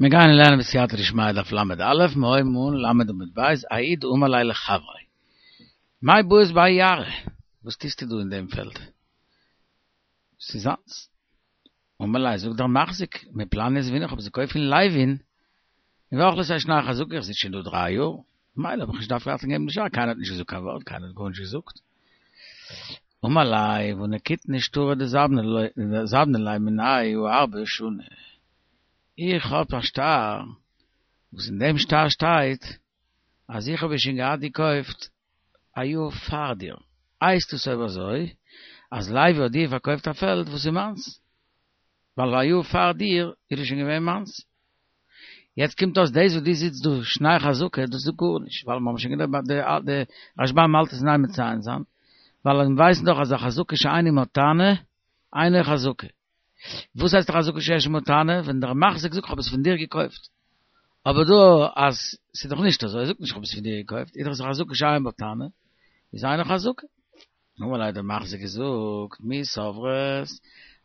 מיר גייען לערנען בסייעתא דשמיא דף ל"א, מיר הויבן אן ל' עמוד ב', ההוא דאמר ליה לחבריה. מאי בעית בהאי יערא? וואס טוסטו דא אין דעם פעלד? ס'איז זיינס. אמר ליה, זאגט דער מחזיק, מפלני זבינא, איך האב עס געקויפט פון לוי'ן, און ואכלתיה שני חזקה, איך זיץ שוין דא דריי יאר, ממילא האב איך נישט געדארפט אכטונג געבן די שטר, קיינער האט נישט געזאגט קיין ווארט, קיינער האט גארנישט געזאגט. אמר ליה, והא נקיטנא שטרא דזבנא ליה מינאי הא ארבע שני. איך האב א שטר, וואס אין דעם שטר שטייט אז איך האב עס שוין געהאט געקויפט א יאר פאר דיר. הייסט עס אויב אזוי אז לוי האט דיר פארקויפט א פעלד וואס איז מיינס, ווייל א יאר פאר דיר איז עס שוין געווען מיינס. יעצט קומט אויס דאס וואס דו זיצט דא שני חזקה דאס איז גארנישט, ווייל מיר האבן שוין געלערנט די רשב"ם האלט עס אין איין מציין זיין, ווייל מיר ווייסן דאך אז א חזקה שאין עמה טענה אינה חזקה. וואס הייסט א חזקה שיש עמה טענה? ווען דער מחזיק זאגט כ'האב עס פון דיר געקויפט. אבער דא אז ס'איז דאך נישט אזוי, ער זאגט נישט כ'האב עס פון דיר געקויפט, איז דאך עס א חזקה שאין בה טענה, איז אינה חזקה. אמר ליה האט דער מחזיק געזאגט, מי סברת,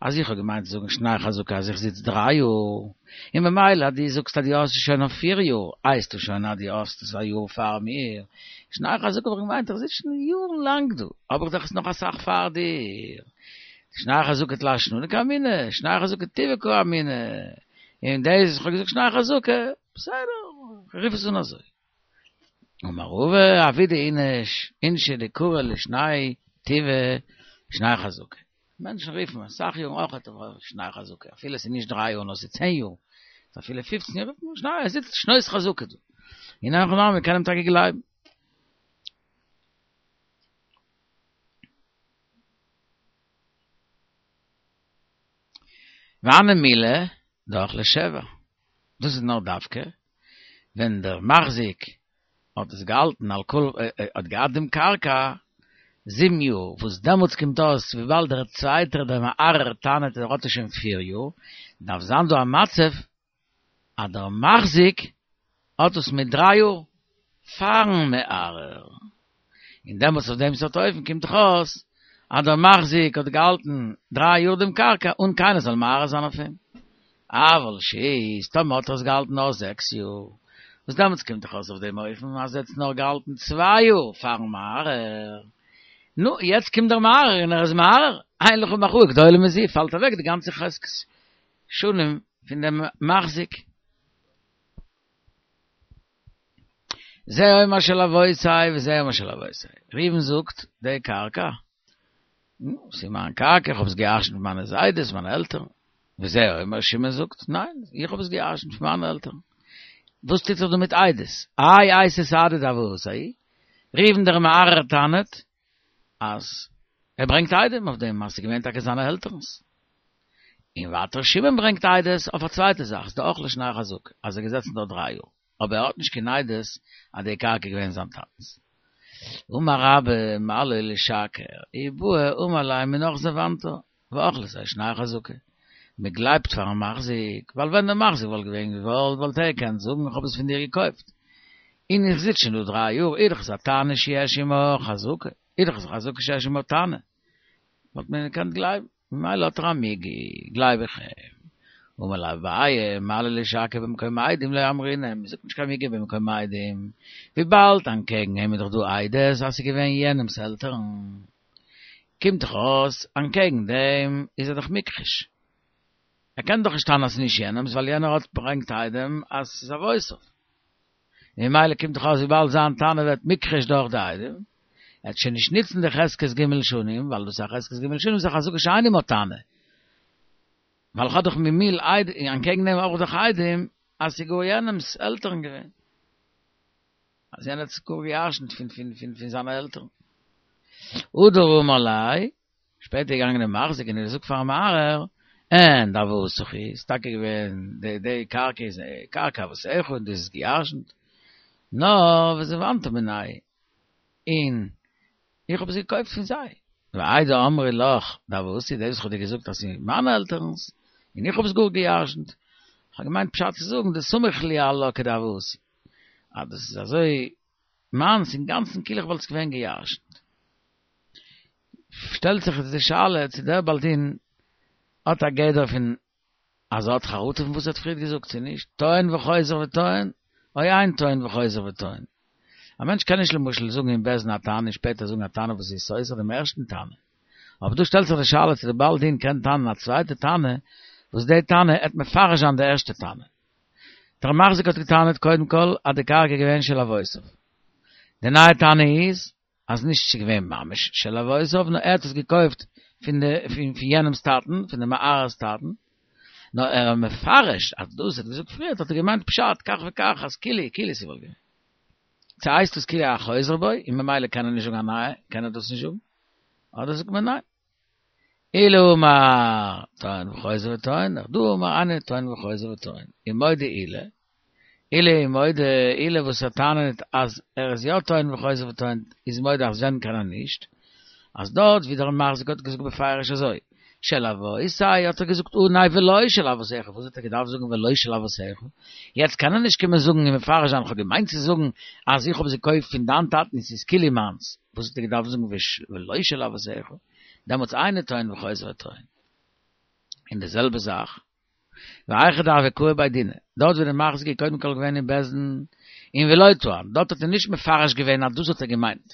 אז איך האב געמיינט צו זאגן שני חזקה אז איך זיץ דריי יאר, און ממילא אז דו זאגסט אז דו האסט עס שוין אויף פיר יאר, הייסט עס שוין אז דו האסט עס א יאר פאר מיר, שני חזקה האב איך געמיינט איך זיץ שוין יארן לאנג דא, האב איך דאך עס נאך אסאך פאר דיר. שני חזקה תלת שנין קאמינא, שני חזקה טבעא קאמינא, און דאס וואס איך האב געזאגט שני חזקה, בסדר, רוף עס אן אזוי. אמר רבא, עבידי איניש, אינשי דקרו לשני טבעא שני חזקה. מענטשן רופן אסאך יארן אויך שני חזקה, אפילו עס איז נישט דריי יאר נאר עס איז צען יאר, אפילו פופצן יאר, רופט מען שני, ער זיצט שנות חזקה דא. און אין הכי נמי, מען קען אים טאקע גלייבן. והני מילי דאכלה שבע, דאס איז נאר דווקא ווען דער מחזיק האט עס געהאלטן על כל האט געהאט דעם קרקע זיבן יאר, וואס דעמאלטס קומט אויס וויבאלד דער צווייטער דער מערער טענה'ט ער האט עס שוין פיר יאר, דארף זיין דא א מצב אז דער מחזיק האט עס מיט דריי יאר פארן מערער, און דעמאלטס אויף דעם סארט אופן קומט דאך אויס אז דער מחזיק האט געהאלטן דריי יאר דעם קרקע אן קיינער זאל מערער זיין אויף אים. אבל שית, טאמער האט ער עס געהאלטן נאר זעקס יאר, וואס דעמאלטס קומט דאך אויס אויף דעם אופן אז ער האט עס נאר געהאלטן צוויי יאר פארן מערער, נו, יעצט קומט דער מערער און ער איז מערער, אין לך מחאה גדולה מזו, פאלט אוועק די גאנצע חזקת שנים פון דעם מחזיק. זה אומר של אבותי וזה אומר של אבותי. ראובן זאגט, די קרקע, נו, ס'איז מיין קרקע, איך האב עס געירשנט פון מיינע זיידעס, מיינע עלטערן. וזה אומר, שמעון זאגט, ניין, איך האב עס געירשנט פון מיינע עלטערן. וואס טוט זיך דא מיט עדות? האי אייתי סהדי דאבותי. ראובן דער מערער טענה'ט אז ער ברענגט עדים אויף דעם אז ס'איז געווען טאקע זיינע עלטערנס. און ווייטער שמעון ברענגט עדות אויף א צווייטע זאך, דאכלה שני חזקה, אז ער איז געזעצן דארט דריי יאר, אבער ער האט נישט קיין עדות אז די קרקע איז געווען זיין טאטנס. אמר רבה, מה לו לשקר, אי בעי אמר ליה מינך זבנתה, ואכלתיה שני חזקה. מען גלייבט פארן מחזיק, ווייל ווען דער מחזיק וואלט געווען געוואלט וואלט ער געקענט זאגן איך האב עס פון דיר געקויפט, און איך זיץ שוין דא דריי יאר, איז דאך עס א טענה שיש עמה חזקה, איז דאך עס א חזקה שיש עמה טענה, וואלט מען געקענט גלייבן, ממילא האט ער א מיגו, גלייב איך אים. אמר ליה אביי, מה לו לשקר במקום עדים לא אמרינן, מען זאגט נישט קיין מיגו במקום עדים, וויבאלד אנטקעגן אים איז דאך דא עדות אז ס'איז געווען יענעמ'ס עלטערן, קומט דאך אויס אנטקעגן דעם איז ער דאך מוכחש, ער קען דאך נישט טענה'ן אז ס'איז נישט יענעמ'ס ווייל יענער האט ברענגט עדים אז ס'איז אבותיו. ממילא קומט דאך אויס וויבאלד זיין טענה ווערט מוכחש דורך די עדים, ער וועט שוין נישט נוצן די חזקת ג' שנים, ווייל דאס איז א חזקת ג' שנים איז א חזקה שאין עמה טענה. ווייל איך האב דאך ממילא עדים, אנטקעגן דעם האב איך דאך עדים אז ס'איז גאר יענעמ'ס עלטערן געווען. אז יענער האט עס גאר געירשנט פון פון פון פון זיינע עלטערן. הדר אמר ליה, שפעטער איז געגאנגען דער מחזיק און ער האט געזאגט פארן מערער, אין דאבהתך היא, ס'איז טאקע געווען די די קרקע איז קרקע אבותיך און דאס איז געירשנט, נאר וזבנתה מינייהו, און איך האב עס געקויפט פון זיי. והאי דאמרי לך דאבהתי, דאס וואס איך האב דיר געזאגט אז ס'איז מיינע עלטערנס, און איך האב עס גאר געירשנט, איך האב געמיינט פשט צו זאגן דסמיך לי עלה כדאבהתי, אז דאס איז אזוי מיינס אינגאנצן כאילו איך וואלט עס געווען געירשנט. שטעלט זיך איצט די שאלה צו דער בעל דין האט א גדר פון. אז ער האט חרטה פון וואס ער האט פריערט געזאגט צו נישט, טוען וחוזר וטוען, או אין טוען וחוזר וטוען. א מענטש קען נישט למשל זאגן אין בית דין א טענה און שפעטער זאגן א טענה וואס איז סותר דעם ערשטן טענה. אבער דא שטעלט זיך די שאלה צו דער בעל דין קען טענה'ן א צווייטע טענה וואס די טענה עט מפרש זיין די ערשטע טענה. דער מחזיק האט געטענה'ט קודם כל אז די קרקע איז געווען של אבותיו. די נייע טענה איז אז נישט ס'איז געווען ממש של אבותיו נאר ער האט עס געקויפט פון די פון יענעמ'ס טאטן, פון די מערער'ס טאטן. נאר ער איז מפרש אז דאס וואס ער האט געזאגט פריערט האט ער געמיינט פשט כך וכך אז כאילו כאילו ס'וואלט געווען. צו הייסט דאס כאילו א חוזר בו און ממילא קען ער נישט זאגן א נייע, קען ער דאס נישט זאגן? אדער זאגט מען ניין. עולא אמר טוען וחוזר וטוען, נהרדעא אמר אינו טוען וחוזר וטוען. ומודה עולא, עולא איז מודה, עולא וואס ער טענה'ט אז ער איז יא טוען וחוזר וטוען איז מודה אז ווען קען ער נישט, אז דארט ווי דער מחזיק האט געזאגט בפירוש אזוי, של אבותי האט ער געזאגט אנהייב ולא של אבותיך, וואס האט ער געדארפט זאגן ולא של אבותיך? יעצט קען ער נישט קומען זאגן און מפרש זיין כ'האב געמיינט צו זאגן אז איך האב עס געקויפט פון דיין טאטן און ס'איז כאילו מיינס, וואס האט ער געדארפט זאגן ולא של אבותיך? דעמאלטס אינו טוען וחוזר וטוען. און די זעלבע זאך והיכא דהוה קאי בי דינא, דארט ווי די מחזיק איז קודם כל געווען אין בית דין און ולא טען, דארט האט ער נישט מפרש געווען אז דאס האט ער געמיינט.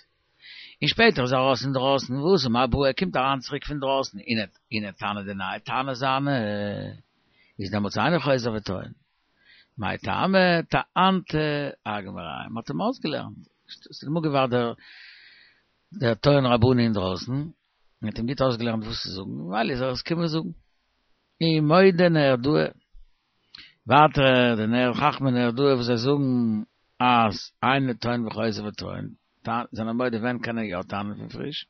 און שפעטער איז ער ארויס אינדרויסן, ואתא מר בעי, ער קומט אריין צוריק פון דרויסן און ער און ער טענה'ט די נייע טענה זיינע, איז דעמאלטס אינו חוזר וטוען. מאי טעמא טענתיה אגמריה, מ'האט אים אויסגעלערנט, ס'איז אמאל געווארט דער דער טוען רבני אינדרויסן, און האט אים גוט אויסגעלערנט וואס צו זאגן, ממילא איז ער עס קומען זאגן. ומודה נהרדעא, ווייטער די נהר חכמי נהרדעא וואס זיי זאגן אז אינו טוען וחוזר וטוען, זענען מודה ווען קען ער יא טענה'ן פון פריש.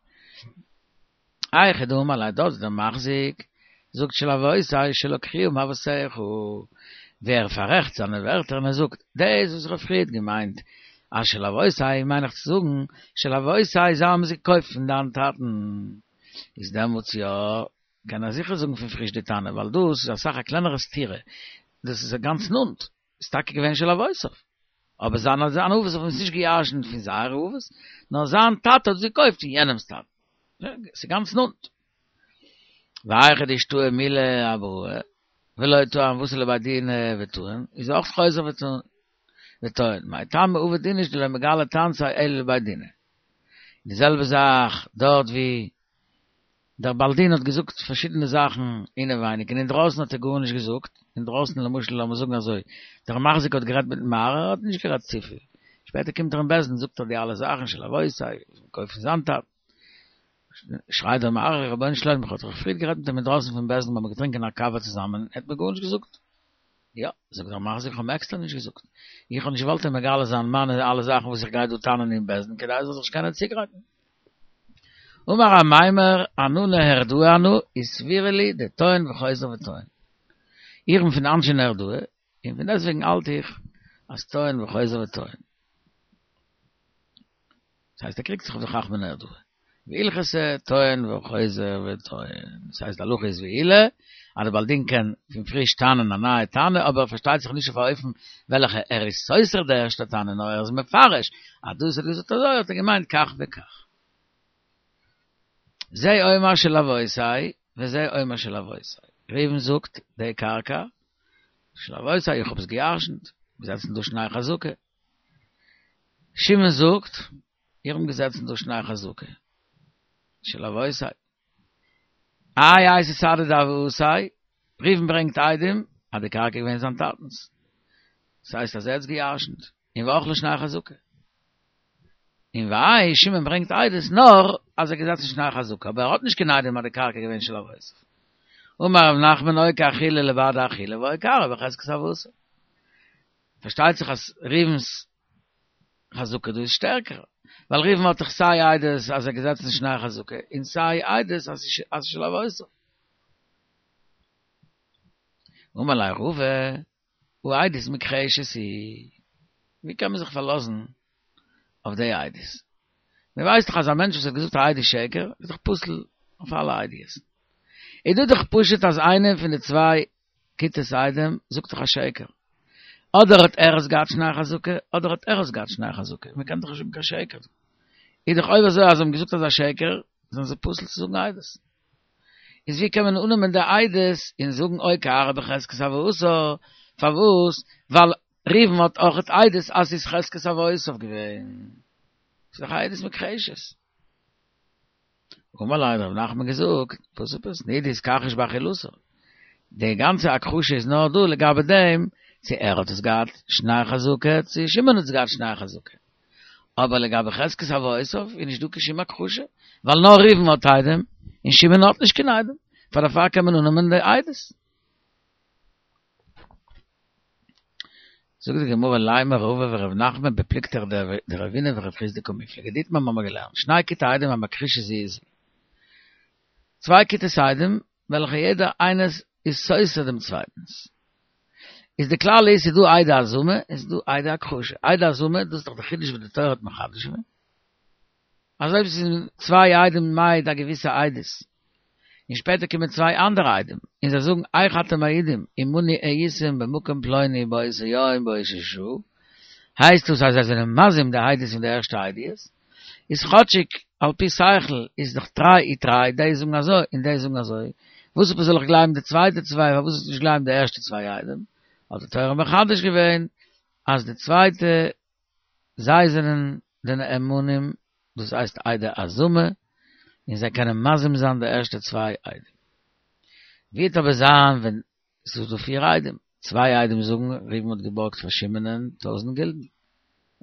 היכא דאמר ליה דארט דער מחזיק זאגט של אבותי שלקחוה מאבותיך, ווי ער פאררעכט זיינע ווערטער און ער זאגט דאס וואס איך האב פריערט געמיינט אז של אבותי מיין איך צו זאגן של אבותי זיי האבן עס געקויפט פון דיין טאטן איז דעמאלטס יא קען ער זיכער זאגן פון פריש די טענה, ווייל דאס איז אסאך א קלענערע סתירה, דאס איז גאנץ נאנט, איז טאקע געווען של אבותיו, אבער זיינע זיינע אבות האבן עס נישט גע'ירש'נט פון זייערע אבות, נאר זיין טאטע האט עס געקויפט פון יענעמ'ס טאטע, ס'איז גאנץ נאנט. והיכא דאשתעי מילי אבראי, ולא טען ואתא לבי דינא וטען, איז אויך חוזר וטוען, מאי טעמא עביד איניש דלא מגלי טענתיה אלא לבי דינא. די זעלבע זאך דארט ווי דער בעל דין האט געזאגט פארשידענע זאכן אינעווייניג און אינדרויסן האט ער גארנישט געזאגט, אינדרויסן למשל לאמיר זאגן אזוי, דער מחזיק האט גערעדט מיטן מערער, ער האט נישט גערעדט צופיל, שפעטער קומט ער אין בית דין זאגט ער די אלע זאכן של אבותי, געקויפט פון זיין טאטן, שרייט דער מערער רבונו של עולם איך האב דאך פריער גערעדט מיט אים אינדרויסן פון בית דין מיר האבן געטרינקען א קאווע צוזאמען, ער האט מיר גארנישט געזאגט. יא, זאגט דער מחזיק, איך האב אים עקסטער נישט געזאגט. איך האב נישט געוואלט אים מגלה זיין מיינע אלע זאכן וואס איך גיי דא טענה'ן אין בית דין, כדי ער זאל זיך נישט קענען צוגרייטן. אמר אמימר, אנא נהרדעי אנא, וסבירא לי דטוען וחוזר וטוען. איך בין פון אנשי נהרדעא, און פון דעסטוועגן האלט איך אז טוען וחוזר וטוען. דאס הייסט ער קריגט זיך אויף די חכמי נהרדעא. והלכתא טוען וחוזר וטוען. דאס הייסט די הלכה איז ווי עולא, אז די בעל דין קען פון פריש טענה'ן א נייע טענה, אבער פארשטייט זיך נישט אויף א אופן וועלכע ער איז סותר די ערשטע טענה, נאר ער איז מפרש אז דאס האט געזאגט אזוי האט ער געמיינט כך וכך. זה אומר של אבותי וזה אומר של אבותי. ראובן זאגט די קרקע של אבותי איך האב עס געירשנט, געזעצן דא שני חזקה. שמעון זאגט, איך בין געזעצן דא שני חזקה של אבותי. איי אייתי סהדי דאבותי, ראובן ברענגט עדים אז די קרקע איז געווען זיין טאטנ'ס. דאס הייסט אז ער האט עס געירשנט, און ואכלה שני חזקה. און וויי שמעון ברענגט עדות נאר אז ער איז געזעצן שני חזקה, אבער ער האט נישט קיין עדים אז די קרקע איז געווען של אבותיו. אמר רב נחמן או כאכילה לבד אכילה ואו כרעו בחזקת אבותיו. פארשטייט זיך אז ראובן'ס חזקה דא איז שטערקער, ווייל ראובן האט דאך סיי עדות אז ער איז געזעצן שני חזקה, און סיי עדות אז ס'איז של אבותיו. אמר ליה רבא, הא עדות מוכחשת היא, ווי קען מען זיך פארלאזן אויף די עדות? מען ווייסט דאך אז א מענטש וואס האט געזאגט א עדות שקר איז דאך פסול אויף אלע עדיות. איז דא דאך פשוט אז איינער פון די צוויי כיתות עדים זאגט דאך א שקר. אדער האט ער עס געהאט שני חזקה, אדער האט ער עס געהאט שני חזקה. מען קען דאך נישט זאגן קיין שקר. איז דאך אויב אזוי אז זיי האבן געזאגט אזא שקר, זענען זיי פסול צו זאגן עדות. איז ווי קען מען אננעמען די עדות און זאגן אוקי ארעא בחזקת הוייתו, פארוואס? ווייל ראובן האט אויכעט עדות אז ס'איז חזקת אבותיו געווען. ס'איז דאך א עדות מוכחשת. אמר ליה האט רב נחמן געזאגט, וואס עפעס? נידוי אתכחיש באכילתה. די גאנצע הכחשה איז נאר דא לגבי דעם צו ער האט עס געהאט שני חזקה צו שמעון האט עס געהאט שני חזקה. אבער לגבי חזקת אבותיו איז נישט דא קיין שום הכחשה, ווייל נאר ראובן האט עדים און שמעון האט נישט קיין עדים, פאר דערפאר קען מען אננעמען די עדות. זאגט די גמרא לימא רבא ורב נחמן בפלוגתא דרבינא ורב חסדא קמיפלגי דאיתמר מ'האמיר געלערנט שני כיתי עדים המכחישות זו את זו צוויי כיתות עדים וועלכע יעדער איינערס איז סותר דעם צווייטנס איז די כלל איז ס'איז דא עדי הזמה און ס'איז דא עדי הכחשה עדי הזמה דאס איז דאך די חידוש וואס די תורה האט מחדש געווען אז אויב ס'איז צוויי עדים מעיד א געוויסע עדות, און שפעטער קומען צוויי אנדערע עדים און זיי זאגן איך אתם מעידים עמנו הייתם במקום פלוני באותו יום באותה שעה, הייסט דאס אז זיי זענען מזים די עדות פון די ערשטע עדיות, איז כאטשיג על פי שכל איז דאך תרי ותרי, די זאגן אזוי און די זאגן אזוי, וואס עפעס זאל איך גלייבן די צווייטע צוויי פארוואס זאל איך נישט גלייבן די ערשטע צוויי עדים, האט די תורה מחדש געווען אז די צווייטע זיי זענען די נאמנים, דאס הייסט עדי הזמה, און זיי קענען מזים זיין די ערשטע צוויי עדים. ווי וועט אבער זיין ווען ס'איז דא פיר עדים, צוויי עדים זאגן ראובן האט געבארגט פאר שמעונ'ען טויזנט גילדן,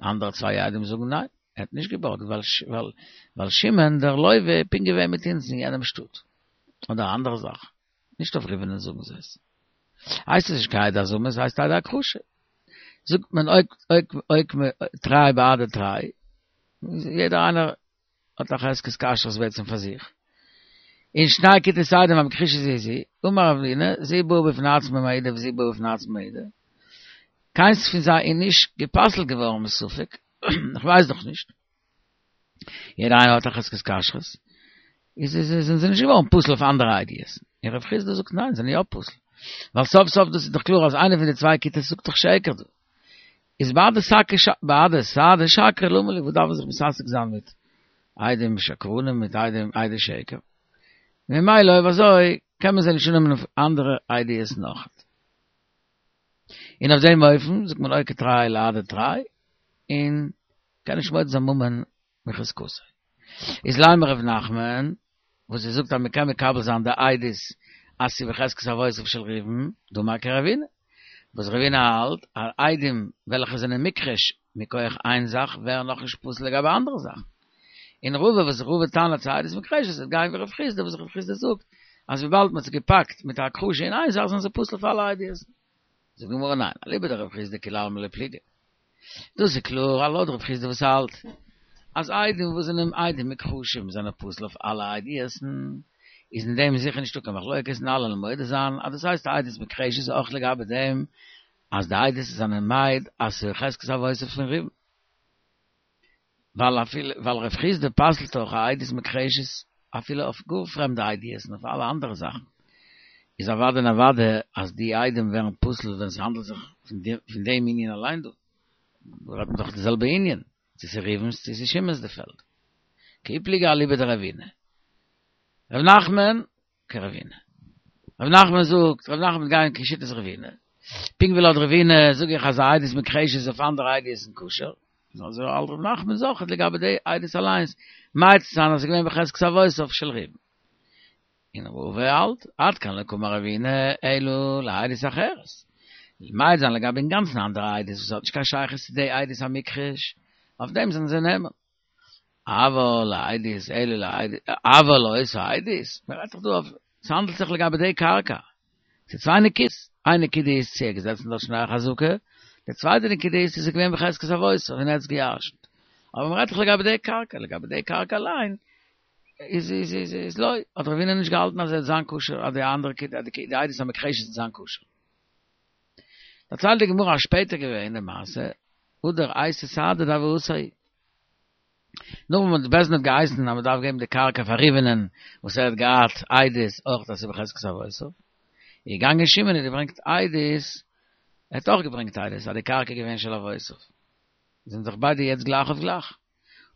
אנדערע צוויי עדים זאגן ניין, ער האט נישט געבארגט ווייל ווייל שמעון דער לוה איז פונקט געווען מיט אונז אין יענעם שטאט, אדער א אנדערע זאך, נישט אויף ראובנ'ען זאגן זיי עס. הייסט עס נישט קיין עדי הזמה, עס הייסט עדי הכחשה. זאגט מען אוקימא תרי בהדי תרי, יעדער איינער האט א חזקת כשרות בעצם פאר זיך. און שני כיתות עדים המכחישות זו את זו, אמר רבינא, זו באה בפני עצמה ומעידה וזו באה בפני עצמה ומעידה. קיינס פון זיי איז נישט גע'פסל'ט געווארן מספק, איך ווייס דאך נישט. יעדער איינער האט א חזקת כשרות, איז איז זענען זיי נישט געווארן פסול אויף אנדערע עדיות. און רב חסדא זאגט ניין, זיי זענען יא פסול. ווייל סוף סוף דאס איז דאך קלאר אז איינער פון די צוויי כיתות זאגט דאך שקר דא. איז בהדי שקי בהדי סהדי שקרי למה לי, וואס דארף מען זיך מתעסק זיין מיט עדים שקרנים מיט עדים עדי שקר. ממילא אויב אזוי קען מען זיי נישט אננעמען אויף אנדערע עדיות נאך. און אויף דעם אופן זאגט מען אוקי תרי להדי תרי, און קען נישט מוציא זיין ממון מחזקתו. איז לימא ר' נחמן, וואס ער זאגט אז מען קען מקבל זיין די עדות אז ס'איז בחזקת אבותיו של ראובן, דאמר כרבינא, וואס רבינא האלט אז עדים וועלכע זענען מוכחש מכח איין זאך ווערן נאכנישט פסול לגבי אנדערע זאכן. און רבא וואס רבא טענה'ט ס'איז עדות מוכחשת וועט גיין ווי רב חסדא וואס רב חסדא זאגט אז וויבאלד מ'האט זיי געפאקט מיט א הכחשה אין איין זאך זענען זיי פסול פאר אלע עדיות. זאגט די גמרא ניין, אליבא דרב חסדא כולי עלמא לא פליגי. דאס איז קלאר אז לויט רב חסדא וואס האלט אז עדים וואס זענען עדים מוכחשים זענען פסול אויף אלע עדיות, איז אין דעם זיכער נישטא קיין מחלוקת און אלע וועלן מודה זיין אז דאס הייסט א עדות מוכחשת אויך לגבי דעם אז די עדות זענען מעיד אז ס'איז חזקת אבותיו פון ראובן. ווייל אפילו ווייל רב חסדא פסל'ט אויך א עדות מוכחשת אפילו אויף גאר פרעמדע עדיות און אויף אלע אנדערע זאכן, איז אוודאי און אוודאי אז די עדים ווערן פסול ווען ס'האנדלט זיך פון דעם ענין אליין דא, דא רעדט מען דאך די זעלבע ענין, צו ס'איז ראובן'ס צו ס'איז שמעון'ס די פעלד. כי פליגי אליבא דרבינא. ר' נחמן כרבינא. ר' נחמן זאגט, ר' נחמן וועט גיין כשיטת רבינא. פונקט ווי לויט רבינא זאג איך אז א עדות מוכחשת איז אויף אנדערע עדיות כשר, אזוי האלט ר' נחמן אויכעט לגבי די עדות אליינס, מעיד צו זיין אז עס איז געווען בחזקת אבותיו של ראובן. און רבא האלט, עד כאן לא קאמר רבינא אלא לעדות אחרת. מעיד זיין לגבי אינגאנצן אנדערע עדות וואס האט נישט קיין שייכות צו די עדות המוכחש, אויף דעם זענען זיי נאמן. אבל לעדות אלו לעדות, אבל לאותה עדות, מען רעדט דאך דא אויף, ס'האנדלט זיך לגבי די קרקע, ס'איז צוויי נקודות, איין נקודה איז צו ער איז געזעצן דארט שני חזקה, די צווייטע נקודה איז צו ס'איז געווען בחזקת אבותיו און ער האט עס געירשנט, אבער מען רעדט דאך לגבי די קרקע, לגבי די קרקע אליין איז איז איז איז לא, האט רבינא נישט געהאלטן אז עס וועט זיין כשר, אז די אנדערע די עדות המוכחשת וועט זיין כשר. דערציילט די גמרא אז שפעטער געווען די מעשה, הדר אייתי סהדא דהוייתיה. נאך וואס בית דין האט געהייסן אז מען דארף געבן די קרקע פאר ראובנ'ען וואס ער האט געהאט עדות אויך אז ס'איז בחזקת אבותיו, איז געגאנגען שמעון און געברענגט עדות, ער האט אויך געברענגט עדות אז די קרקע איז געווען של אבותיו, זענען זיך ביידע יעצט גלייך אויף גלייך.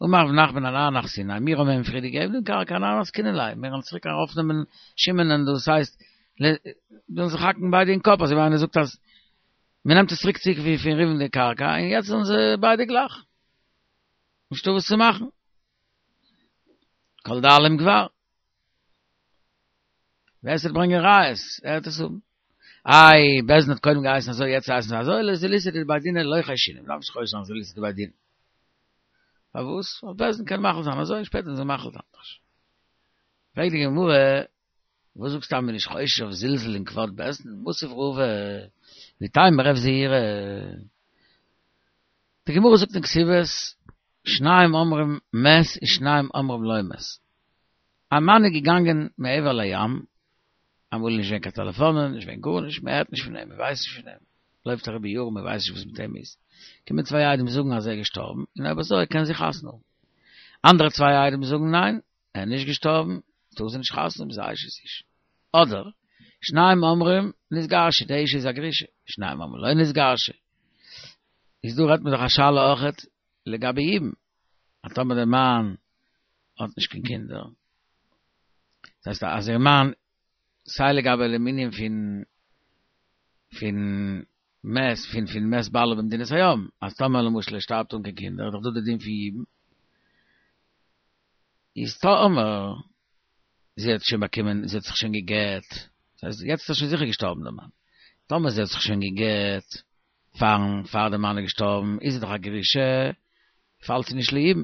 אמר רב נחמן אנן אחתיניה, מיר האבן אים פריער געגעבן דעם קרקע אנן מסקינן ליה, מיר וועלן צוריק ארויפנעמען שמעונ'ען דאס הייסט זאלן זיך האקן ביידע אין קאפ אזוי ווי איינער זאגט אז מען נעמט עס צוריק צוריק ווי פון ראובן די קרקע און יעצט זענען זיי ביידע גלייך נישטא וואס צו מאכן כל דאלים גבר. ווער ס'וועט ברענגען ראיות, ער וועט עס האבן. איי, בית דין האט קודם געהייסן אזוי, יעצט הייסן זיי אזוי, לזילותא דבי דינא לא חיישינן, מ'דארף נישט חושש זיין זילותא דבי דינא. פארוואס? ווייל בית דין קען מחליט זיין אזוי און שפעטער זיי מחליט אנדערש. פרעגט די גמרא, וואס זאגסטו אז מ'איז נישט חושש אויף זלזול אין כבוד בית דין? מתיב רבא, ואיתימא רב זעירא. די גמרא זאגט אין כתובות, שניים אומרים מת ושניים אומרים לא מת. א מאן איז געגאנגען מעבר לים, אמאל איז נישט געווען קיין טעלעפאנען, נישט געווען גארנישט, מען הערט נישט פון אים, מען ווייסט נישט פון אים, לויפט אריבער יארן מען ווייסט נישט וואס מיט אים איז, קומען צוויי עדים זאגן אז ער איז געשטארבן, און אויב אזוי קען זי חתונה האבן. אנדערע צוויי עדים זאגן ניין, ער איז נישט געשטארבן, טאר זי נישט חתונה האבן, זי איז אשת איש. אדער, שניים אומרים נתגרשה, די אשה איז א גרושה, שניים אומרים לא נתגרשה. איז דא רעדט מען דאך א שאלה אויכעט לגבי יבום, אז טאמער דער מאן האט נישט קיין קינדער, דאס הייסט אז איר מאן, סיי לגבי דעם ענין פון פון מת פון פון מת בעלה במדינת הים, אז טאמער למשל ער שטארבט אן קיין קינדער איז דאך דא די דין פון יבום, איז טאמער זי האט שוין באקומען, זי האט זיך שוין גע'גט, דאס הייסט יעצט איז שוין זיכער געשטארבן דער מאן, טאמער זי האט זיך שוין גע'גט פארן פאר דער מאן איז געשטארבן, איז זי דאך א גרושה, פאלט זי נישט ליבום.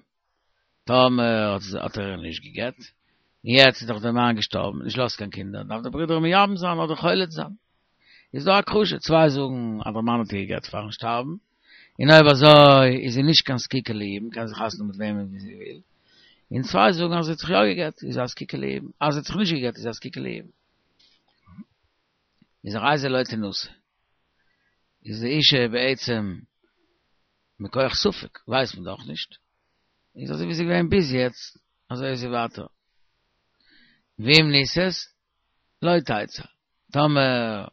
טאמער האט ער איר נישט גע'גט, און יעצט איז דאך דער מאן געשטארבן, נישט געלאזט קיין קינדער, דארף דער ברודער מייבם זיין אדער חולץ זיין. איז דא הכחשה, צוויי זאגן אז דער מאן האט איר גע'גט פארן שטארבן, און אויב אזוי איז זי נישט קיין זקוקה ליבום, קען זי חתונה האבן מיט וועמען זי וויל, און צוויי זאגן אז זי האט זיך יא גע'גט, איז זי א זקוקה ליבום, אז זי האט זיך נישט גע'גט איז זי א זקוקה ליבום. איז הרי זו לא תנשא. איז די אישה בעצם מכח ספק, ווייסט מען דאך נישט. איז אזוי ווי זי איז געווען ביז יעצט, אזוי איז זי ווייטער. ואם נישאת, לא תצא. טאמער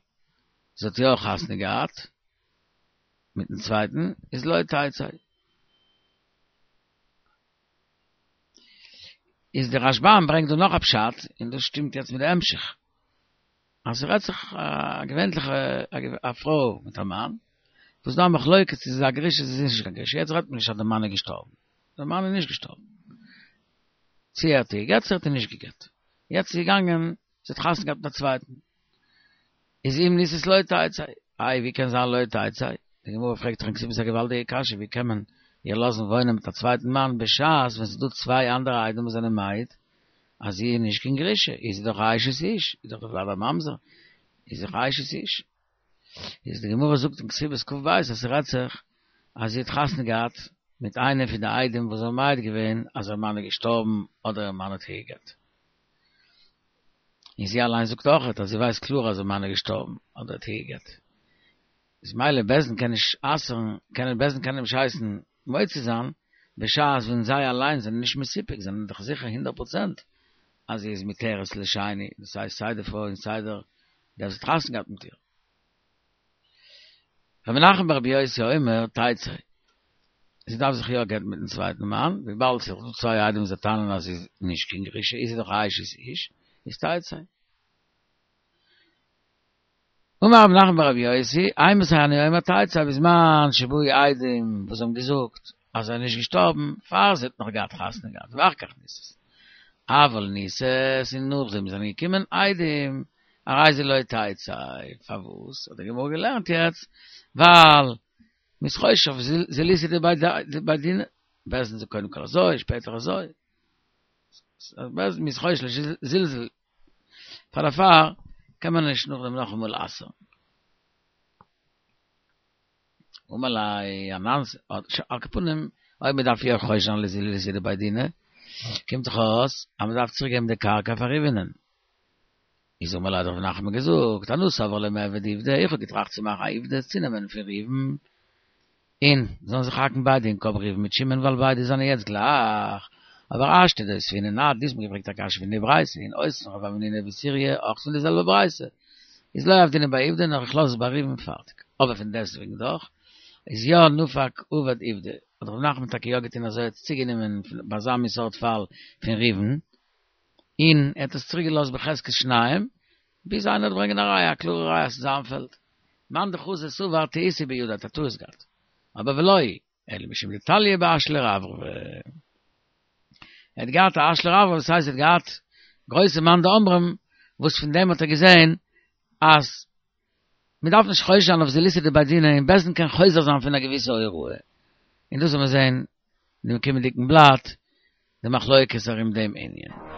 זי האט יא חתונה געהאט מיטן צווייטן, איז לא תצא. איז דער רשב"ם ברענגט דא נאך א פשט, און דאס שטימט יעצט מיט די המשך. אז ס'רעדט זיך א געווענליכע א פרוי מיט א מאן, וואס דא א מחלוקת צו ס'איז א גרושה צו ס'איז נישט קיין גרושה, יעצט רעדט מען נישט אז די מאן איז געשטארבן, די מאן איז נישט געשטארבן, צו ער האט איר גע'גט צו ער האט איר נישט גע'גט, יעצט איז געגאנגען, זי האט חתונה געהאט מיט א צווייטן, איז אם נישאת לא תצא, איי ווי קען זיין לא תצא, די גמרא פרעגט דאך אין כתובות א געוואלדיגע קשיא ווי קען מען איר לאזן וואוינען מיט א צווייטן מאן בשעת ווען ס'איז דא צוויי אנדערע עדים וואס זענען מעיד אז זי איז נישט קיין גרושה, איז זי דאך א אשת איש, איז דאך די ולד א ממזר, איז זי דאך א אשת איש. איז די גמרא זאגט אין כתובות כ"ב אז ס'רעדט זיך אז זי האט חתונה געהאט מיט איינעם פון די עדים וואס האבן מעיד געווען אז איר מאן איז געשטארבן אדער איר מאן האט איר גע'גט. און זי אליין זאגט אויכעט אז זי ווייסט קלאר אז איר מאן איז געשטארבן אדער האט איר גע'גט. איז מילא בית דין קען נישט אסר'ן, קען בית דין קען נישט הייסן מוציא זיין, בשעת ווען זיי אליין זענען נישט מסופק, זענען דאך זיכער הונדערט פראצענט אז זי איז מותרת לשני, דאס הייסט סיי די פרוי און סיי דער דער וואס האט חתונה געהאט מיט איר. רב נחמן בר רבי יוסי אומר, תצא, זי דארף זיך יא גט'ן מיטן צווייטן מאן, וויבאלד ס'איז דא צוויי עדים וואס טענה'ן אז זי איז נישט קיין גרושה, איז זי דאך א אשת איש, איז תצא. אמר רב נחמן בר רבי יוסי, אימתי אני אומר תצא בזמן שבאו עדים וואס האבן געזאגט אז ער איז נישט געשטארבן פאר זי האט נאך געהאט חתונה געהאט ואחר כך נישאת אבל נישאת און נאכדעם זענען געקומען עדים הרי זו לא תצא פארוואס האט די גמרא געלערנט יעצט ווייל מ'איז חושש אויף זילותא דבי דינא בית דין זאגט קודם כל אזוי שפעטער אזוי מ'איז חושש לזלזול פאר דערפאר קען מען נישט נאכדעם נאכאמאל אסר'ן. אמר ליה אנן על כל פנים אויב מען דארף יא חושש זיין לזילותא דבי דינא קומט דאך אויס אז מען דארף צוריק געבן די קרקע פאר ראובנ'ען. איז אמר ליה האט רב נחמן געזאגט אנא סבר למיעבד עובדא איך האב געטראכט צו מאכן א עובדא צונעמען פון ראובן און זאלן זיך האקן ביידע אין קאפ ראובן מיט שמעון ווייל ביידע זענען יעצט גלייך, אבער השתא דאותבינן את, דו האסט מיר געפרעגט א קשיא פון די ברייתא און אותבן רב המנונא וסוריא אויך פון די זעלבע ברייתא, איז לא עבדינן ביה עובדא נאר איך לאז עס ביי ראובן פארטיג, אבער פון דעסטוועגן דאך איז יא נפק עבד עובדא. האט ר' נחמן טאקע יא געטון אזוי ער האט עס צוגענומען ביי אזא מין סארט פאל פון ראובן, און ער האט עס צוריק געלאזט בחזקת שניים, ביז איינער וועט ברענגען א ראיה, א קלארע ראיה אז ס'איז זיין פעלד. מאן דחזא סבר טעיתא בידיה האט א טעות געהאט. אבער ולא היא, אלא משום דתליה באשלי רברבי. ער האט געהאט א אשלי רברבי, דאס הייסט ער האט געהאט גרויסע מאן דאמרים וואס פון דעם האט ער געזען אז מען דארף נישט חושש זיין אויף זילותא דבי דינא און בית דין קען חוזר זיין פון א געוויסע הוראה. און דאס וועל מיר זען אין דעם קומענדיגן בלאט די מחלוקת ארום דעם ענין.